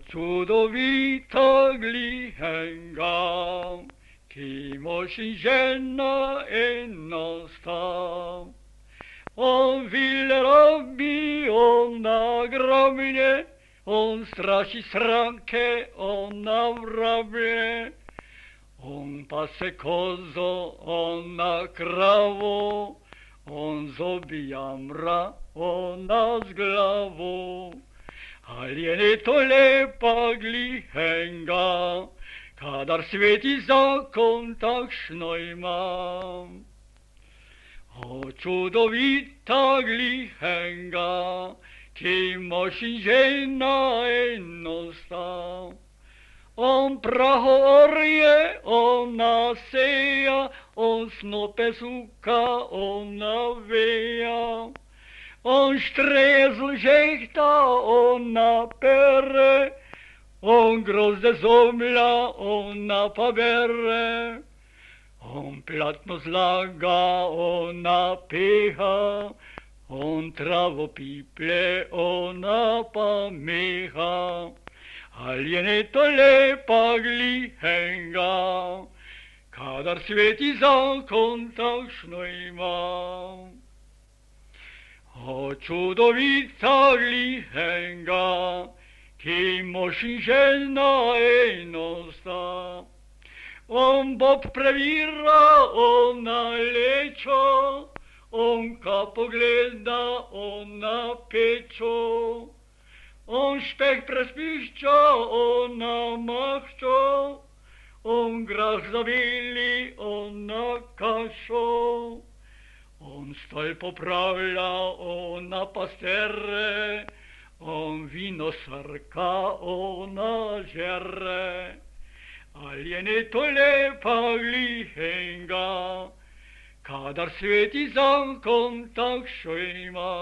Čudovita glihenga, Kimoši žena jednostav. On vill rabbi, on nagrabne, on straši sranke, on navrabne. On pase kozo, on na kravu, on zobija mra, on nas glavu. Ali je ne to lepa glihenga, kadar sveti zakon takšno imam. O čudovita glihenga, ki moši žena jednostav. On praho orje, on naseja, on snope suka, on naveja. On štrezl žehta, on napere, on grozde zomlja, on napabere. On platno zlaga, on napeha, on travo piple, on napameha. Ali je ne to lepa glihenga, kadar sveti zakon takšno ima. O čudovita glihenga, ki moši žena enostav. On bob previra, on nalečo, on ka pogleda, on na pečo. On špeh prespišča, on namahčo, on grah zavili, on na kašo. On stol popravlja, on na pastere, on vino srka, on na žere. Ali je ne to lepa glihenga, kadar sveti zakon takšno ima.